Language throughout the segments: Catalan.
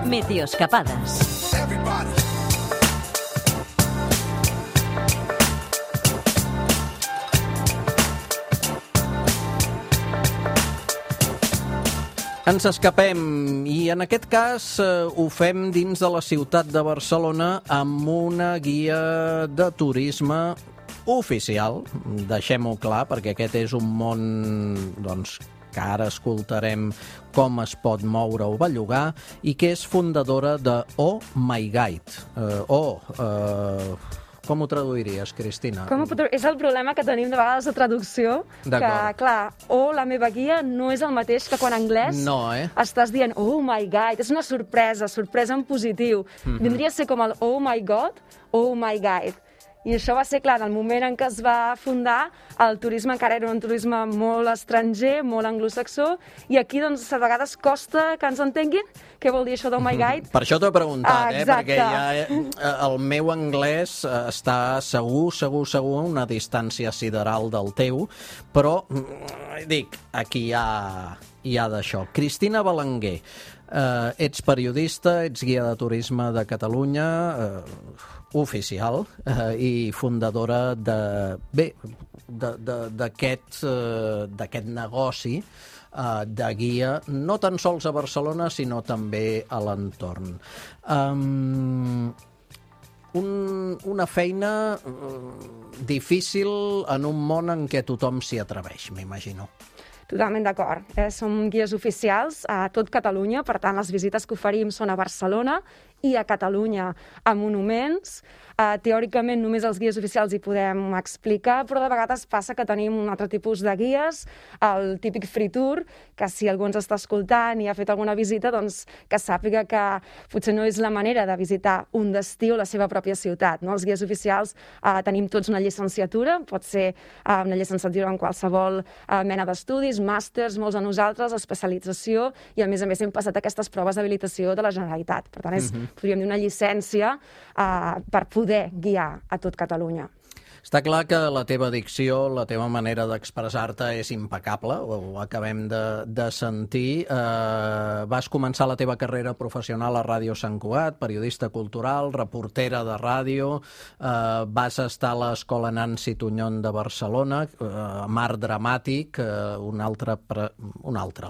Meteoescapades. Ens escapem i en aquest cas ho fem dins de la ciutat de Barcelona amb una guia de turisme oficial, deixem-ho clar, perquè aquest és un món que ara escoltarem com es pot moure o bellugar i que és fundadora de Oh My Guide. Com ho traduiries, Cristina? És el problema que tenim de vegades de traducció, que, clar, la meva guia no és el mateix que quan en anglès estàs dient Oh My Guide, és una sorpresa en positiu. Vindria a ser com el Oh My God, Oh My Guide. I això va ser, clar, en el moment en què es va fundar, el turisme encara era un turisme molt estranger, molt anglosaxó, i aquí, doncs, a vegades costa que ens entenguin què vol dir això d'Oh My Guide. Per això t'ho he preguntat, perquè el meu anglès està segur a una distància sideral del teu, però, dic, aquí hi ha d'això. Cristina Belenguer, ets periodista, ets guia de turisme de Catalunya, oficial, i fundadora d'aquest negoci de guia, no tan sols a Barcelona, sinó també a l'entorn. Una feina difícil en un món en què tothom s'hi atreveix, m'imagino. Totalment d'acord. Som guies oficials a tot Catalunya, per tant, les visites que oferim són a Barcelona i a Catalunya a monuments. Teòricament només els guies oficials hi podem explicar, però de vegades passa que tenim un altre tipus de guies, el típic free tour, que si algú ens està escoltant i ha fet alguna visita, doncs que sàpiga que potser no és la manera de visitar un destí o la seva pròpia ciutat. Els guies oficials tenim tots una llicenciatura, pot ser una llicenciatura en qualsevol mena d'estudis, màsters, molts de nosaltres, especialització, i a més hem passat aquestes proves d'habilitació de la Generalitat. Per tant, és, podríem dir, una llicència per poder guiar a tot Catalunya. Està clar que la teva dicció, la teva manera d'expressar-te és impecable, ho acabem de sentir. Vas començar la teva carrera professional a Ràdio Sant Cugat, periodista cultural, reportera de ràdio, vas estar a l'Escola Nancy Tuñón de Barcelona, amb art dramàtic,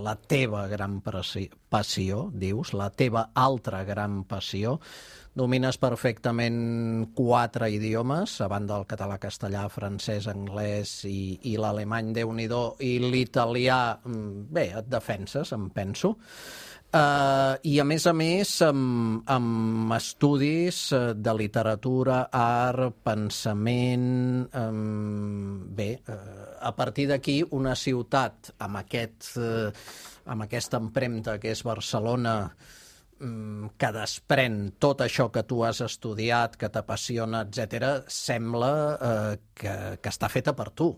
la teva gran passió, dius, la teva altra gran passió. Domines perfectament 4 idiomes, a banda del català, castellà, francès, anglès i l'alemany, Déu-n'hi-do, i l'italià, bé, et defenses, em penso. I a més, amb estudis de literatura, art, pensament... Bé, a partir d'aquí, una ciutat amb aquesta empremta que és Barcelona, que desprèn tot això que tu has estudiat, que t'apassiona, etc., sembla que està feta per tu.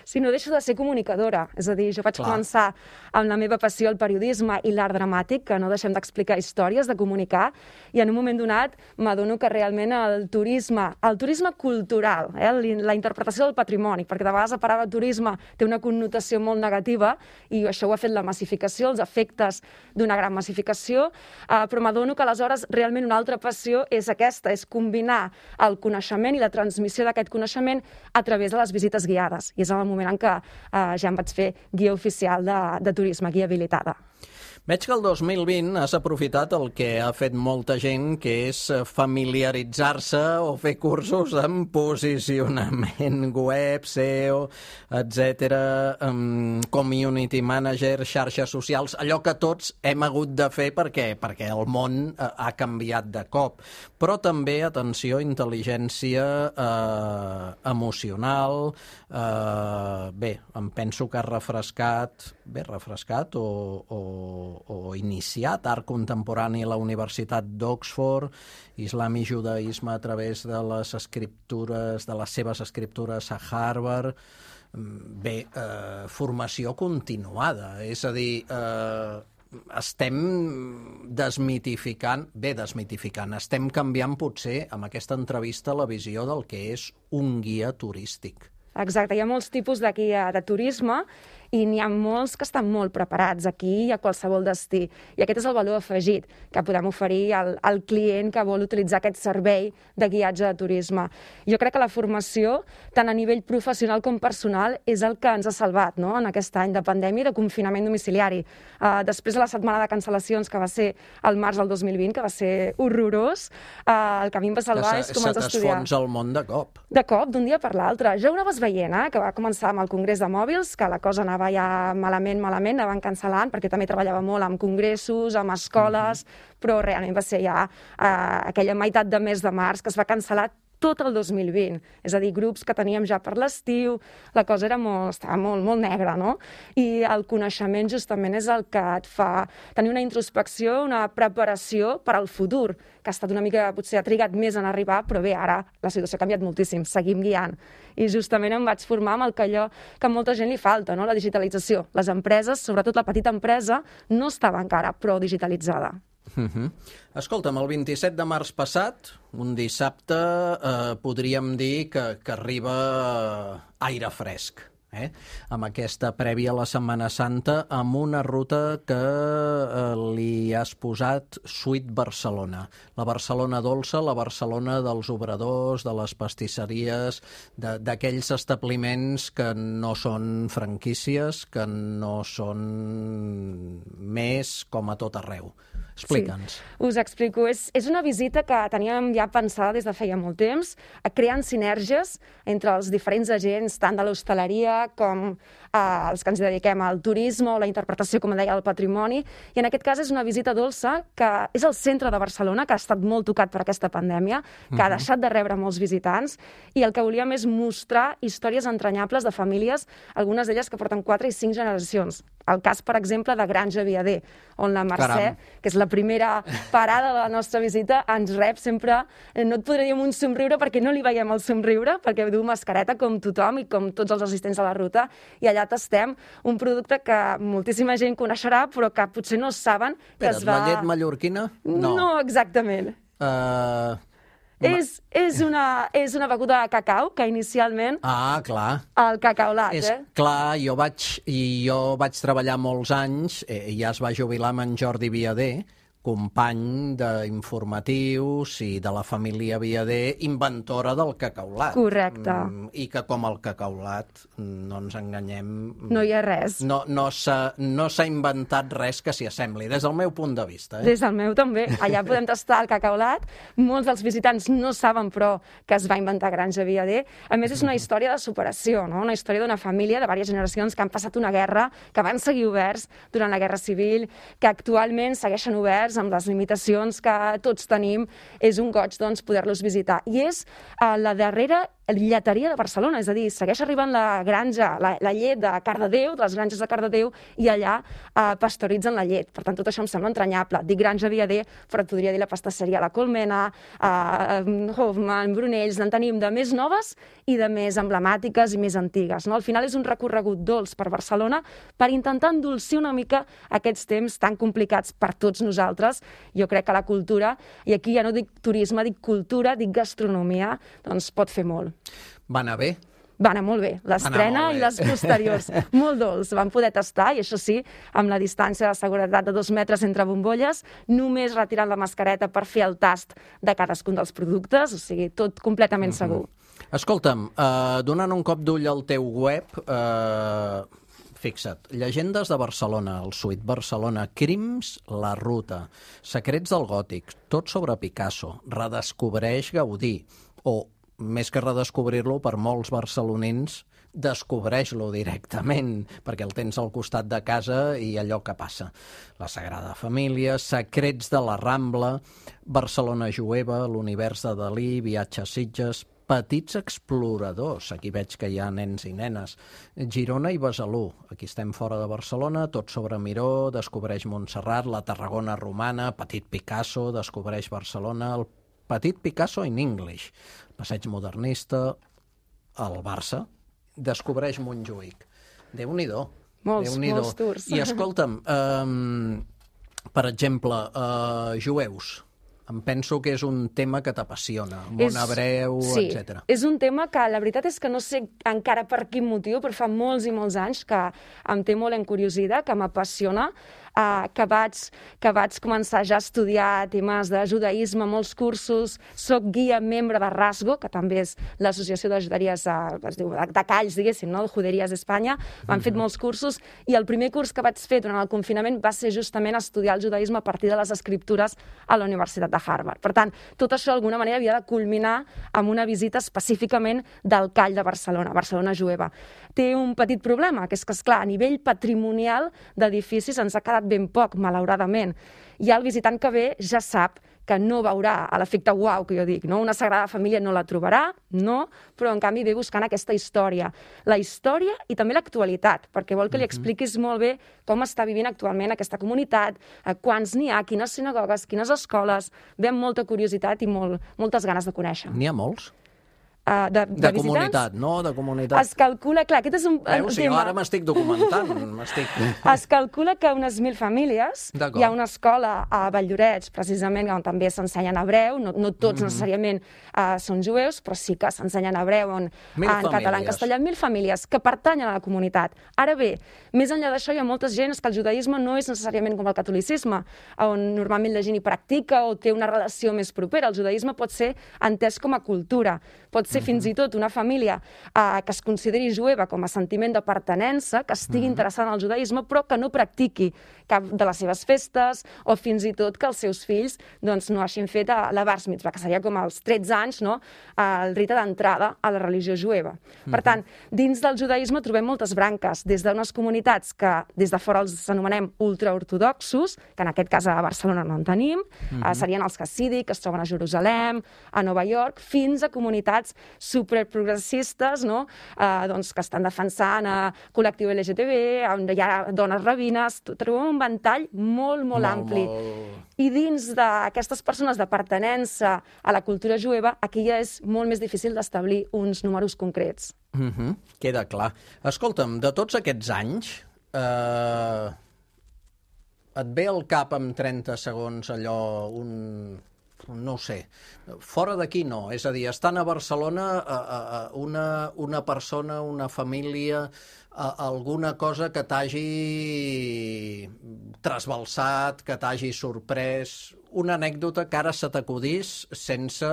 Sí, no deixo de ser comunicadora. És a dir, jo vaig començar amb la meva passió al periodisme i l'art dramàtic, que no deixem d'explicar històries, de comunicar, i en un moment donat m'adono que realment el turisme cultural, la interpretació del patrimoni, perquè de vegades la paraula turisme té una connotació molt negativa, i això ho ha fet la massificació, els efectes d'una gran massificació, però m'adono que aleshores realment una altra passió és aquesta, és combinar el coneixement i la transmissió d'aquest coneixement a través de les visites guiades. I és el moment en què ja em vaig fer guia oficial de turisme, guia habilitada. Veig que el 2020 has aprofitat el que ha fet molta gent, que és familiaritzar-se o fer cursos en posicionament web, SEO, etc., community manager, xarxes socials, allò que tots hem hagut de fer perquè el món ha canviat de cop. Però també, atenció, intel·ligència emocional, bé, em penso que has refrescat o iniciat art contemporani a la Universitat d'Oxford, islam i judaïsme a través de les seves escriptures a Harvard. Bé, formació continuada, és a dir, estem desmitificant, estem canviant potser amb aquesta entrevista la visió del que és un guia turístic. Exacte, hi ha molts tipus de guia de turisme i n'hi ha molts que estan molt preparats aquí i a qualsevol destí. I aquest és el valor afegit que podem oferir al client que vol utilitzar aquest servei de guiatge de turisme. Jo crec que la formació, tant a nivell professional com personal, és el que ens ha salvat, no?, en aquest any de pandèmia i de confinament domiciliari. Després de la setmana de cancel·lacions, que va ser el març del 2020, que va ser horrorós, el que a mi em va salvar és començar a estudiar. Se t'esfons el món de cop. De cop, d'un dia per l'altre. Ja ho anaves veient, que va començar amb el Congrés de Mòbils, que la cosa anava ja malament, anaven cancel·lant, perquè també treballava molt amb congressos, amb escoles, però realment va ser ja aquella meitat de mes de març que es va cancel·lar tot el 2020. És a dir, grups que teníem ja per l'estiu, la cosa estava molt negra, no? I el coneixement justament és el que et fa tenir una introspecció, una preparació per al futur, que ha estat una mica, potser ha trigat més en arribar, però bé, ara la situació ha canviat moltíssim, seguim guiant. I justament em vaig formar amb allò que a molta gent li falta, no?, la digitalització. Les empreses, sobretot la petita empresa, no estava encara prou digitalitzada. Escolta'm, el 27 de març passat, un dissabte, podríem dir que arriba aire fresc, amb aquesta prèvia a la Setmana Santa, amb una ruta que li has posat Suite Barcelona. La Barcelona dolça, la Barcelona dels obradors, de les pastisseries, d'aquells establiments que no són franquícies, que no són més com a tot arreu. Explica'ns. Sí, us explico. És una visita que teníem ja pensada des de feia molt temps, creant sinergies entre els diferents agents, tant de l'hostaleria com els que ens dediquem al turisme o la interpretació, com deia, del patrimoni. I en aquest cas és una visita dolça que és el centre de Barcelona, que ha estat molt tocat per aquesta pandèmia, que ha deixat de rebre molts visitants, i el que volíem és mostrar històries entranyables de famílies, algunes d'elles que porten 4 i 5 generacions. El cas, per exemple, de Granja Viader, on la Mercè, que és la primera parada de la nostra visita, ens rep sempre, no et podré dir amb un somriure perquè no li veiem el somriure, perquè du mascareta com tothom i com tots els assistents a la ruta, i allà tastem un producte que moltíssima gent coneixerà, però que potser no saben que es va... La llet mallorquina? No, exactament. És una beguda de cacau, que inicialment... clar. El cacaolat, Clar, jo vaig treballar molts anys, ja es va jubilar amb en Jordi Viader, company d'informatius i de la família Viader, inventora del cacaulat. Correcte. I que com el cacaulat, no ens enganyem... No hi ha res. No s'ha inventat res que s'hi assembli, des del meu punt de vista. Des del meu també. Allà podem tastar el cacaulat. Molts dels visitants no saben, però, que es va inventar Granja Viader. A més, és una història de superació, no? Una història d'una família de diverses generacions que han passat una guerra, que van seguir oberts durant la Guerra Civil, que actualment segueixen oberts amb les limitacions que tots tenim. És un goig, doncs, poder-los visitar. I és la darrera lleteria de Barcelona, és a dir, segueix arribant la granja, la llet de Cardedeu, de les granges de Cardedeu, i allà pasteuritzen la llet. Per tant, tot això em sembla entranyable. Dic Granja Viader, però et podria dir la pastisseria La Colmena, Hoffman, Brunells, en tenim de més noves i de més emblemàtiques i més antigues. Al final és un recorregut dolç per Barcelona per intentar endolcir una mica aquests temps tan complicats per tots nosaltres. Jo crec que la cultura, i aquí ja no dic turisme, dic cultura, dic gastronomia, doncs pot fer molt. Va anar bé? Va anar molt bé, l'estrena i les posteriors. Molt dolç, vam poder tastar, i això sí, amb la distància de seguretat de 2 metres entre bombolles, només retirant la mascareta per fer el tast de cadascun dels productes, o sigui, tot completament segur. Escolta'm, donant un cop d'ull al teu web, fixa't, llegendes de Barcelona, el Suite Barcelona, crims, la ruta, secrets del gòtic, tot sobre Picasso, redescobreix Gaudí, o més que redescobrir-lo, per molts barcelonins, descobreix-lo directament, perquè el tens al costat de casa i allò que passa. La Sagrada Família, secrets de la Rambla, Barcelona jueva, l'univers de Dalí, viatge a Sitges, petits exploradors, aquí veig que hi ha nens i nenes, Girona i Besalú, aquí estem fora de Barcelona, tot sobre Miró, descobreix Montserrat, la Tarragona romana, Petit Picasso, descobreix Barcelona, el Petit Picasso in English, passeig modernista, el Barça, descobreix Montjuïc. Déu-n'hi-do. Molts tours. I escolta'm, per exemple, jueus, Em penso que és un tema que t'apassiona, món hebreu, etc. Sí, és un tema que la veritat és que no sé encara per quin motiu, però fa molts i molts anys que em té molt encuriosida, que m'apassiona, que vaig començar ja a estudiar temes de judaïsme, molts cursos, soc guia membre de RASGO, que també és l'associació de juderies, es diu, de Calls, diguéssim, no? Juderies d'Espanya. M'han fet molts cursos i el primer curs que vaig fer durant el confinament va ser justament estudiar el judaïsme a partir de les escriptures a la Universitat de Harvard. Per tant, tot això d'alguna manera havia de culminar amb una visita específicament del Call de Barcelona, Barcelona jueva. Té un petit problema, que és que, esclar, a nivell patrimonial d'edificis ens ha quedat ben poc, malauradament. Ja el visitant que ve ja sap que no veurà l'efecte uau que jo dic, no? Una Sagrada Família no la trobarà, no, però en canvi ve buscant aquesta història. La història i també l'actualitat, perquè vol que li expliquis molt bé com està vivint actualment aquesta comunitat, quants n'hi ha, quines sinagogues, quines escoles. Ve amb molta curiositat i moltes ganes de conèixer. N'hi ha molts? De comunitat, no? De comunitat. Es calcula, clar, aquest és un tema. Jo ara m'estic documentant. Es calcula que unes 1.000 famílies, hi ha una escola a Valldorets, precisament, on també s'ensenyen hebreu, no tots necessàriament són jueus, però sí que s'ensenyen hebreu en català, en castellà, 1.000 famílies que pertanyen a la comunitat. Ara bé, més enllà d'això hi ha molta gent que el judaïsme no és necessàriament com el catolicisme, on normalment la gent hi practica o té una relació més propera. El judaïsme pot ser entès com a cultura, pot ser fins i tot una família que es consideri jueva com a sentiment de pertinença, que estigui interessada en el judaïsme, però que no practiqui cap de les seves festes o fins i tot que els seus fills no hagin fet la bar mitzvah, que seria com als 13 anys, no? El rite d'entrada a la religió jueva. Per tant, dins del judaïsme trobem moltes branques, des d'unes comunitats que des de fora els anomenem ultraortodoxos, que en aquest cas a Barcelona no en tenim, serien els hassídics, que es troben a Jerusalem, a Nova York, fins a comunitats superprogressistes, no? Que estan defensant col·lectiu LGTB, on hi ha dones rabines, trobem un ventall molt ampli. I dins d'aquestes persones de pertinença a la cultura jueva, aquí ja és molt més difícil d'establir uns números concrets. Queda clar. Escolta'm, de tots aquests anys, et ve al cap en 30 segons allò, no ho sé, fora d'aquí no, és a dir, estant a Barcelona una persona, una família, alguna cosa que t'hagi trasbalsat, que t'hagi sorprès, una anècdota que ara se t'acudís sense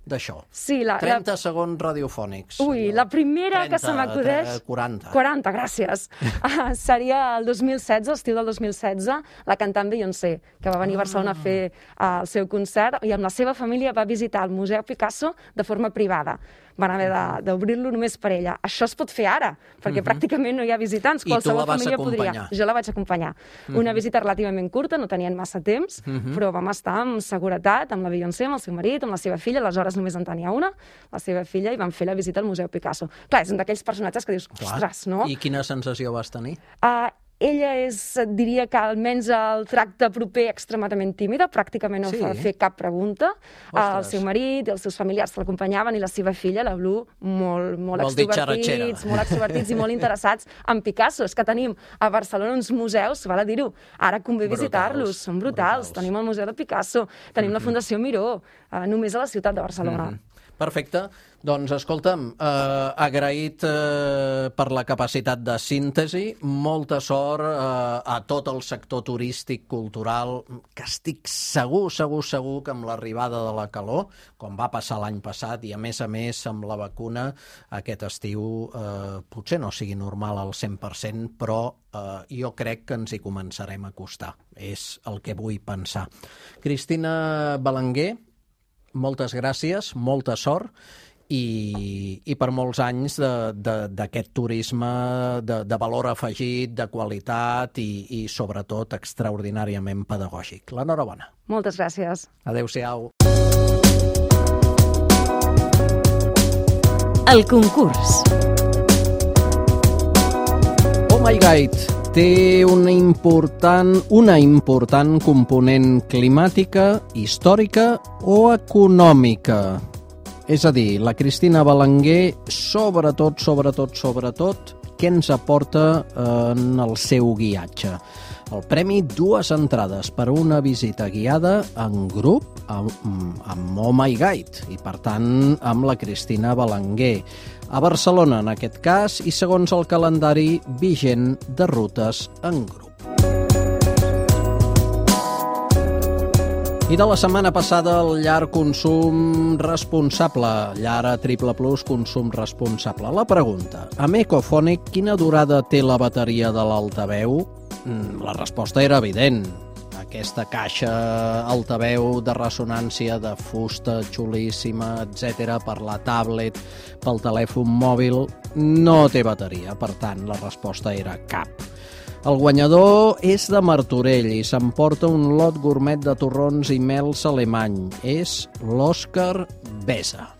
d'això. Sí, 30 segons radiofònics. Ui, la primera 30, que se m'acudeix... 40, gràcies. Seria el 2016, l'estiu del 2016, la cantant Beyoncé, que va venir a Barcelona a fer el seu concert i amb la seva família va visitar el Museu Picasso de forma privada. Van haver d'obrir-lo només per ella. Això es pot fer ara, perquè pràcticament no hi ha visitants. Qualsevol família podria. Jo la vaig acompanyar. Una visita relativament curta, no tenien massa temps, però vam estar amb seguretat, amb la Beyoncé, amb el seu marit, amb la seva filla, aleshores només en tenia una, la seva filla, i van fer la visita al Museu Picasso. Clar, és un d'aquells personatges que dius, ostres, no? I quina sensació vas tenir? Ella diria que almenys el tracte proper extremadament tímida, pràcticament no va fer cap pregunta. El seu marit i els seus familiars l'acompanyaven i la seva filla, la Blu, molt extrovertits i molt interessats en Picasso. És que tenim a Barcelona uns museus, val a dir-ho, ara convé visitar-los, són brutals. Tenim el Museu de Picasso, tenim la Fundació Miró, només a la ciutat de Barcelona. Perfecte. Doncs, escolta'm, agraït per la capacitat de síntesi, molta sort a tot el sector turístic, cultural, que estic segur que amb l'arribada de la calor, com va passar l'any passat, i a més amb la vacuna, aquest estiu potser no sigui normal al 100%, però jo crec que ens hi començarem a acostar. És el que vull pensar. Cristina Belenguer, moltes gràcies, molta sort, i per molts anys d'aquest turisme de valor afegit, de qualitat i sobretot extraordinàriament pedagògic. L'enhorabona. Moltes gràcies. Adéu-siau. El concurs. Oh My Guide té una important component climàtica, històrica o econòmica. És a dir, la Cristina Belenguer, sobretot, què ens aporta en el seu guiatge. El premi, 2 entrades per una visita guiada en grup amb Oh My Guide i, per tant, amb la Cristina Belenguer. A Barcelona, en aquest cas, i segons el calendari vigent de rutes en grup. I de la setmana passada, el llar consum responsable, llar a Triple Plus consum responsable. La pregunta, amb Ecofonic, quina durada té la bateria de l'altaveu? La resposta era evident. Aquesta caixa altaveu de ressonància de fusta xulíssima, etc., per la tablet, pel telèfon mòbil, no té bateria. Per tant, la resposta era cap. El guanyador és de Martorell i s'emporta un lot gourmet de torrons i mels alemany. És l'Òscar Besa.